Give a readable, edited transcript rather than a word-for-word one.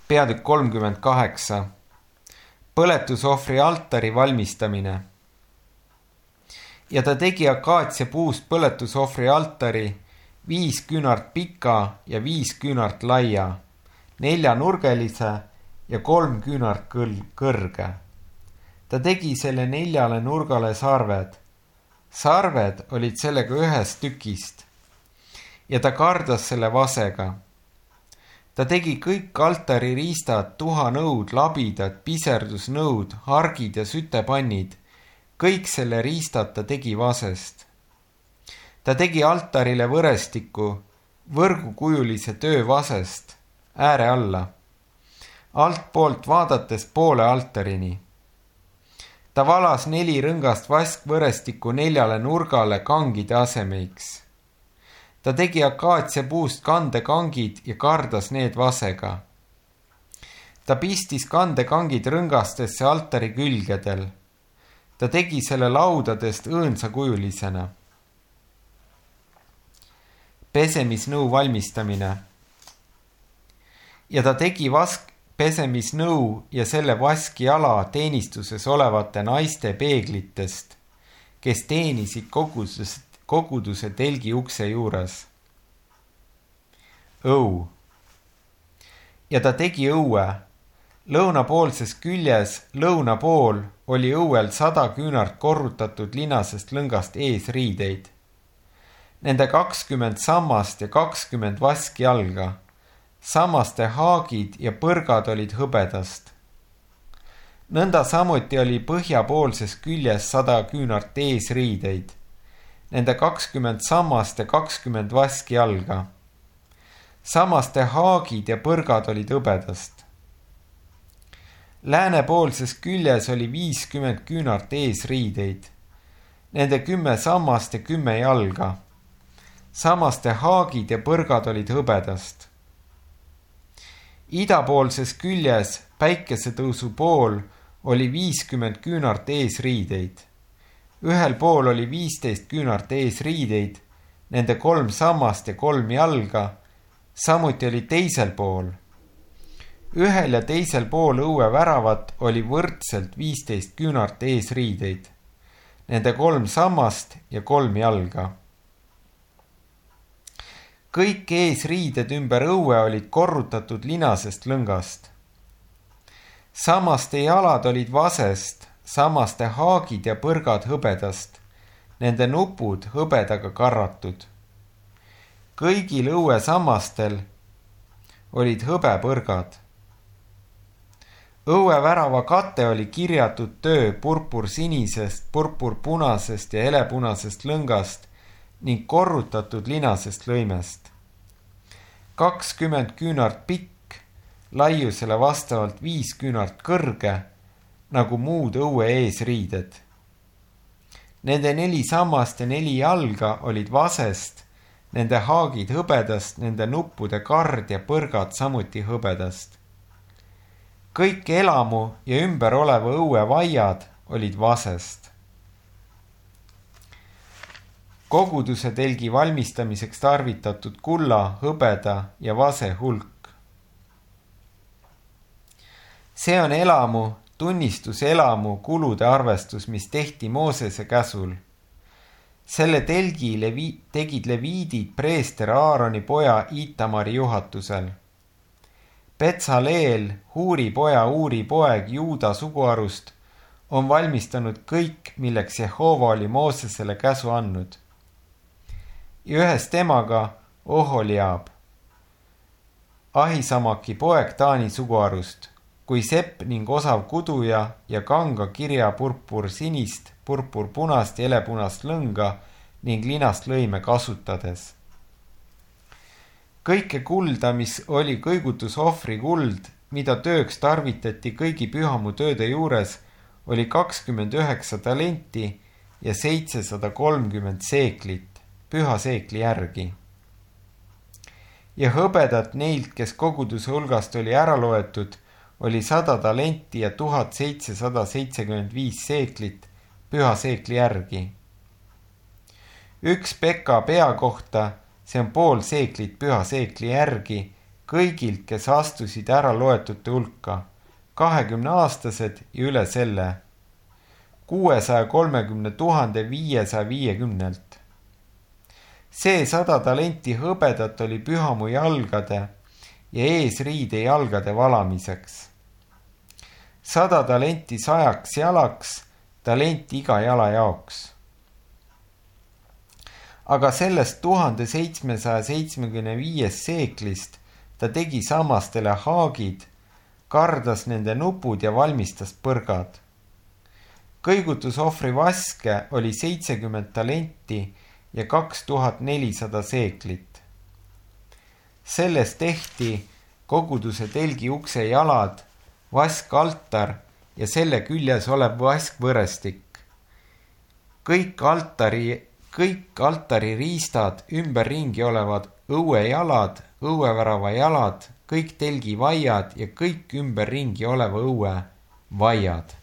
Peatükk 38. Põletusohvri altari valmistamine. Ja ta tegi akaatsia puust põletusohvri altari 5 küünart pika ja 5 küünart laia, 4-nurgelise ja 3 küünart kõrge. Ta tegi selle 4 nurgale sarved. Sarved olid sellega ühest tükist ja ta kardas selle vasega. Ta tegi kõik altari riistad, tuhanõud, labidad, piserdusnõud, hargid ja sütepannid. Kõik selle riistad ta tegi vasest. Ta tegi altarile võrestiku, võrgukujulise töö vasest, ääre alla, altpoolt vaadates poole altarini. Ta valas 4 rõngast vaskvõrestikku 4 nurgale kangide asemeiks. Ta tegi akaatsia puust kandekangid ja kardas need vasega. Ta pistis kandekangid rõngastesse altari külgedel. Ta tegi selle laudadest õõnsakujulisena. Pesemisnõu valmistamine. Ja ta tegi pesemisnõu ja selle vaskjala teenistuses olevate naiste peeglitest, kes teenisid koguduse telgi ukse juures. Õu. Ja ta tegi õue. Lõunapoolses küljes lõuna pool oli õuel 100 küünart korrutatud linasest lõngast eesriideid. Nende 20 sammast ja 20 vaskjalga. Sammaste haagid ja põrgad olid hõbedast. Nõnda samuti oli põhjapoolses küljes 100 küünart eesriideid. Nende 20 sammast ja 20 vaskjalga. Sammaste haagid ja põrgad olid hõbedast. Läänepoolses küljes oli 50 küünart eesriideid. Nende 10 sammast ja 10 jalga. Sammaste haagid ja põrgad olid hõbedast. Idapoolses küljes päikesetõusu pool oli 50 küünart eesriideid. Ühel pool oli 15 küünart eesriideid, nende 3 sammast ja 3 jalga, samuti oli teisel pool. Ühel ja teisel pool õue väravat oli võrdselt 15 küünart eesriideid, nende 3 sammast ja 3 jalga. Kõik eesriided ümber õue olid korrutatud linasest lõngast. Sammaste jalad olid vasest, sammaste haagid ja põrgad hõbedast, nende nupud hõbedaga karratud. Kõigil õue sammastel olid hõbepõrgad. Õue värava kate oli kirjatud töö purpursinisest, purpurpunasest ja helepunasest lõngast ning korrutatud linasest lõimest. 20 küünart pikk, laiusele vastavalt 5 küünart kõrge, nagu muud õue eesriided. Nende 4 sammast ja 4 jalga olid vasest, nende haagid hõbedast, nende nuppude kard ja põrgad samuti hõbedast. Kõik elamu ja ümber oleva õue vaiad olid vasest. Koguduse telgi valmistamiseks tarvitatud kulla, hõbeda ja vase hulk. See on elamu, tunnistuselamu kulude arvestus, mis tehti Moosese käsul. Selle telgi tegid leviidid preester Aaroni poja Itamari juhatusel. Betsaleel, Huuri poja Uuri poeg Juuda suguharust, on valmistanud kõik, milleks Jehova oli Moosesele käsu andnud. Ja ühes temaga Oholiab, Ahisamaki poeg Taani suguharust, kui sepp ning osav kuduja ja kanga kirja purpursinist, purpurpunast ja helepunast lõnga ning linast lõime kasutades. Kõike kulda, mis oli kõigutusohvri kuld, mida tööks tarvitati kõigi pühamu tööde juures, oli 29 talenti ja 730 seeklit, püha seekli järgi. Ja hõbedat neilt, kes koguduse hulgast oli ära loetud, oli 100 talenti ja 1775 seeklit püha seekli järgi. 1 peka pea kohta, see on pool seeklit püha seekli järgi, kõigilt, kes astusid ära loetute hulka, 20-aastased ja üle selle, 630 550. See 100 talenti hõbedat oli pühamu jalgade ja eesriide jalgade valamiseks. 100 talenti 100 jalaks, talent iga jala jaoks. Aga sellest 1775 seeklist ta tegi sammastele haagid, kardas nende nupud ja valmistas põrgad. Kõigutusohvri vaske oli 70 talenti ja 2400 seeklit. Sellest tehti koguduse telgi ukse jalad, vaskaltar ja selle küljes olev vaskvõrestik. Kõik altari riistad ümberringi olevad õuejalad, õuevärava jalad, kõik telgi vaiad ja kõik ümberringi oleva õue vaiad.